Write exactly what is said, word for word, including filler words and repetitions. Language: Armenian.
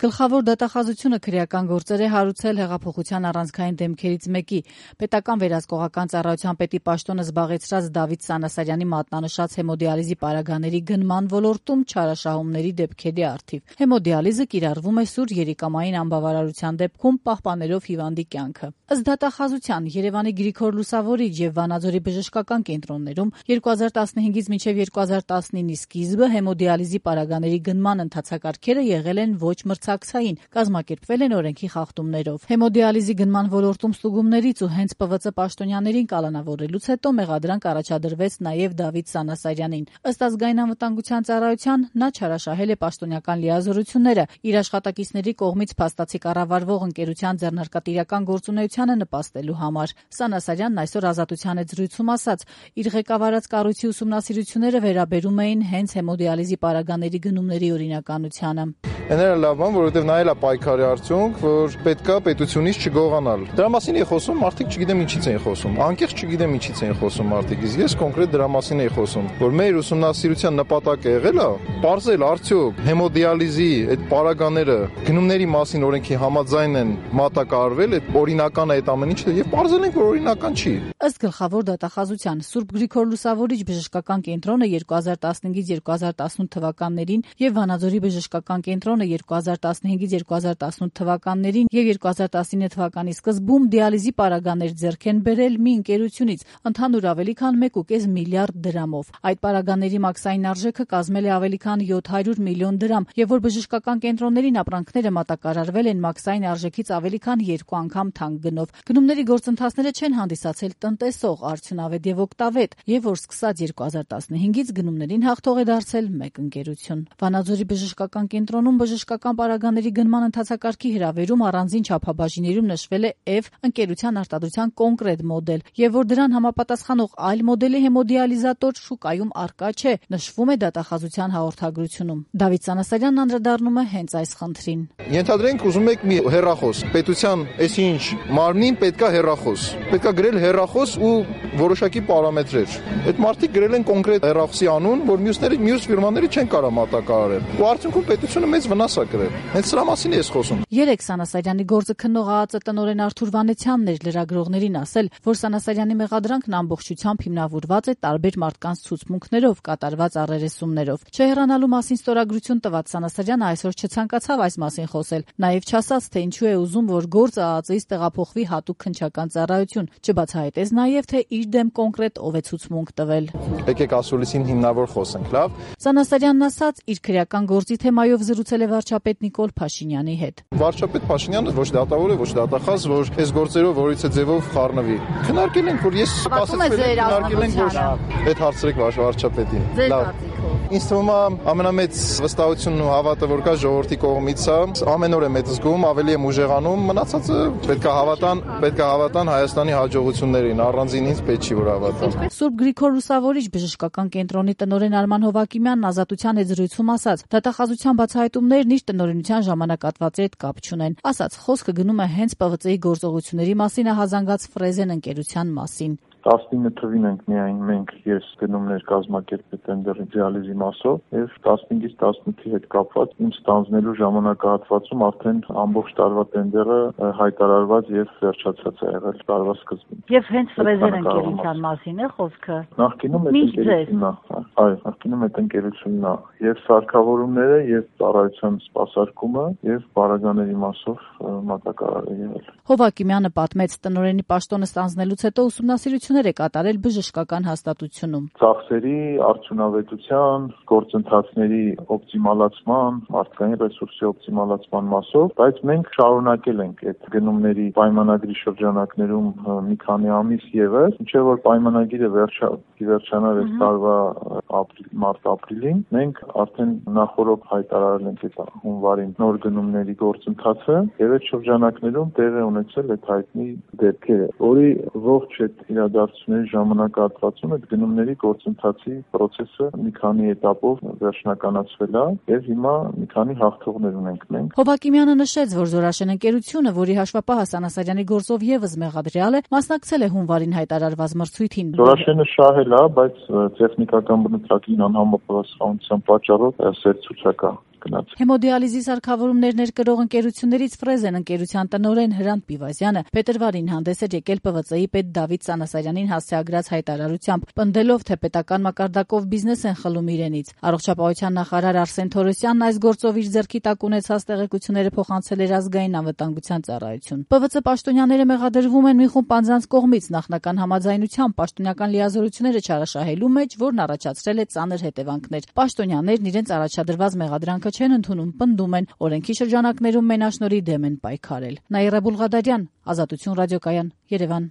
Գլխավոր դատախազությունը քրեական գործեր է հարուցել հեղափոխության առանցքային դեմքերից մեկի՝ պետական վերահսկողական ծառայության պետի պաշտոնը զբաղեցրած Դավիթ Սանասարյանի մատնանշած հեմոդիալիզի պարագաների գնման ոլորտում չարաշահումների դեպքերի առթիվ։ Հեմոդիալիզը կիրառվում է սուր երիկամային անբավարարության դեպքում պահպանելով հիվանդի կյանքը։ Ըստ դատախազության Երևանի Գրիգոր Լուսավորիչ եւ Վանաձորի բժշկական կենտրոններում երկու հազար տասնհինգից մինչեւ երկու հազար տասնինի սկիզբը հեմոդիալիզի պարագաների գնման ընթացակարգերը եղել են ոչ մրցակցային, կազմակերպվել են օրենքի խախտումներով։ Հեմոդիալիզի գնման ոլորտում ստուգումներից ու հենց Պ V Ծ պաշտոնյաներին կալանավորելուց հետո մեղադրանք առաջադրվեց նաեւ Դավիթ Սանասարյանին։ Ըստ ազգային անվտանգության ծառայության նա չարաշահել է պաշտոնական լիազորությունները, իր աշխատակիցների կողմից փաստացի կառավարվող ընկերության ձեռնարկատիրական գործունեությանը նպաստելու համար։ Սանասարյանն այսօր Ազատության հետ զրույցում ասաց, իր ղեկավարած կառույցի ուսումնասիրությունները վերաբերում էին հենց հեմոդիալիզի պարագաների գնումների օրինականությանը։ Էները լավ բան, որովհետև նա էլ է պայքարի արդյունք, որ պետքա պետությունից չգողանալ։ Դրա մասին է խոսում, մարդիկ չգիտեմ ինչից են խոսում։ Անկեղծ չգիտեմ ինչից են խոսում մարդիկ, իսկ ես կոնկրետ դրա մասին եմ խոսում, որ մեր ուսումնասիրության նպատակը եղել է պարզել արդյոք հեմոդիալիզի այդ պարագաները գնումների մասին օրենքի համաձայն են մատակարարվել, այդ օրինական է այդ ամեն ինչը եւ պարզել ենք, որ օրինական չի։ Ըստ գլխավոր դատախազության Սուրբ Գրիգոր Լուսավորիչ բժշկական կենտրոնը երկու հազար տասնհինգից երկու հազար տասնութ թվականներին եւ Վանաձորի բժշկական կենտրոնը երկու հազար տասնհինգից երկու հազար տասնութ թվականներին եւ երկու հազար տասնինը թվականի սկզբում դիալիզի պարագաներ ձեռք են բերել մի ընկերությունից ընդհանուր ավելի քան մեկ ու կես միլիարդ դրամով։ Այդ պարագաների մաքսային արժեքը կազմել է ավելի քան յոթ հարյուր միլիոն դրամ եւ որ բժշկական կենտրոններին ապրանքները մատակարարվել են մաքսային արժեքից ավելի քան երկու անգամ թանկ գնով։ Գնումների գործընթացները չեն հանդիսացել տնտեսող, արդյունավետ եւ օգտավետ եւ որ սկսած երկու հազար տասնհինգից գնումներին հաղթող է դարձել մեկ ընկերություն։ Վանաձորի բժշկական կենտրոնում բժշկական պարագաների գնման ընթացակարգի հրավերում առանձին չափաբաժիներում նշվել է F ընկերության արտադրության կոնկրետ մոդել եւ որ դրան համապատասխանող այլ մոդելի հեմոդիալիզատոր շուկայում առկա չէ, նշվում է դատախազության հաղորդագրությունում։ Դավիթ Սանասարյանն անդրադառնում է հենց այս խնդրին։ Ենթադրենք ուզում եք մի հեռախոս, պետության այսինչ մարմնին պետքա հեռախոս։ Պետքա գրել հեռախոս ու որոշակի պարամետրեր։ Այդ մարդիկ գրել են կոնկրետ հեռախոսի անուն, որ մյուսները մյուս ֆիրմաները չեն կարող մատակարարել։ Ու արդյունքում պետությունը մեծ վնաս է կրել։ Հենց սրա մասին է ես խոսում։ Երեք Սանասարյանի գործը քննող ԱԱԾ տնօրեն Արթուր Վանեցյանն էր լրագրողներին ասել, որ Սանասարյանի մեղադրանքն ամբողջությամբ հիմնավորված է տարբեր մարդկանց ցուցմունքներով, կատարված առերեսումներով։ Չհեռանալու մասին ստորագրություն տված Սանասարյանը այսօր չցանկացավ այս մասին խոսել, նաև չասաց, թե ինչու է ուզում, որ գործը ԱԱԾ-ից տեղափոխվի հատուկ քննչական ծառայություն, չբացահայտեց նաև, թե իր դեմ կոնկրետ ով է ցուցմունք տվել։ Եկեք ասուլիսին հիմնավոր խոսենք, լավ։ Սանասարյանն ասաց, իր քրեական գործի թեմայով զրուցել է վարչապետ Նիկոլ Փաշինյանի հետ։ Վարչապետ Փաշինյանը ոչ դատավոր է, ոչ դատախազ, որ այս գործերով որից է ձևով խառնվի։ Քննարկել ենք, որ ես սպասեցել եմ, քննարկել ենք, որ այդ հարցրեք վարչապետին։ Լավ։ Ինձ թվում է ամենամեծ վստահությունն ու հավատը, որ կա ժողովրդի կողմից է, ամեն օր եմ այդ զգում, ավելի եմ ուժեղանում, մնացածը պետք է հավատան, պետք է հավատան Հայաստանի հաջողություններին, առանձին ինձ պետք չի որ հավատան։ Սուրբ Գրիգոր Լուսավորիչ բժշկական կենտրոնի տնօրեն Արման Հովակիմյանն Ազատության հետ զրույցում ասաց, դատախազության բացահայտումներն իր տնօրենության ժամանակատվածի հետ կապ չունեն։ Ասաց, խոսքը գնում է հենց Պ V Ծ-ի գործողությունների մասին հազանգած Ֆրեզեն ընկերության մասին։ տասնինը թվին ենք միայն մենք ես գնումներ կազմակերպել տենդերի դիալիզի մասով եւ տասնհինգից տասնութի հետ կապված իմ ստանձնելու ժամանակահատվածում արդեն ամբողջ տարվա տենդերը հայտարարված եւ վերջացած է եղել տարվա սկզբին։ Եվ հենց Ֆրեզեն ընկերության մասին է խոսքը։ Նախկինում այդ ընկերությունն է, այո, նախկինում այդ ընկերությունն է եւ սարքավորումները եւ ծառայության սպասարկումը եւ պարագաների մասով մատակարար է եղել։ Հովակիմյանը պատմեց տնօրենի պաշտոնը ստանձնելուց հետո ուսումնասիրություններ է կատարել բժշկական հաստատությունում։ Ծախսերի արդյունավետության, գործընթացների օպտիմալացման, մարդկային ռեսուրսի օպտիմալացման մասով, բայց մենք շարունակել ենք այդ գնումների պայմանագրի շրջանակներում մի քանի ամիս ևս, ինչեւ որ պայմանագիրը վերջա վերջանար այս տարվա ապրիլ-մարտ-ապրիլին, մենք արդեն նախորդ հայտարարել ենք այդ հունվարին նոր գնումների գործընթացը եւ այդ շրջանակներում տեղ է ունեցել այդ հայտնի դեպքերը, որի ողջ այդ իրադարձությունների ժամանակահատվածում այդ գնումների գործընթացի process-ը մի քանի этаպով վերջնականացվել է եւ հիմա մի քանի հաղթողներ ունենք մենք։ Հովակիմյանը նշեց, որ Զորաշեն ընկերությունը, որի հաշվապահը Սանասարյանի գործով եւս մեղադրյալ է, մասնակցել է հունվարին հայտարարված մրցույթին։ Զորաշենը շահել է, բայց տեխնիկական բնութագրին անհամապատասխանության պատճառով սեր ցուցակա գնաց։ Հեմոդիալիզի սարքավորումներ ներկրող ընկերություններից Ֆրեզեն ընկերության տնօրեն Հրանտ Պիվազյանը փետրվարին հանդես էր եկել Պ V C-ի պետ Դավիթ Սանասարյանին հասցեագրած հայտարարությամբ, պնդելով, թե պետական մակարդակով բիզնես են խլում իրենից։ Առողջապահության նախարար Արսեն Թորոսյանն այս գործով իր ձեռքի տակ ունեցած տեղեկությունները փոխանցել էր ազգային անվտանգության ծառայություն։ Պ V C պաշտոնյաները մեղադրվում են մի խումբ անձանց կողմից նախնական համաձայնությամբ պաշտոնական լիազորությունները չարաշահելու մեջ, որն առաջացրել է ծանր հետևանքներ։ Պաշտոնյաներն իրենց առաջադրված մեղադրանքը չեն ընդունում, պնդում են, օրենքի շրջանակներում մենաշնորհի դեմ են պայքարել։ Նաիրա Բուլղադարյան, Ազատություն ռադիոկայան, Երևան։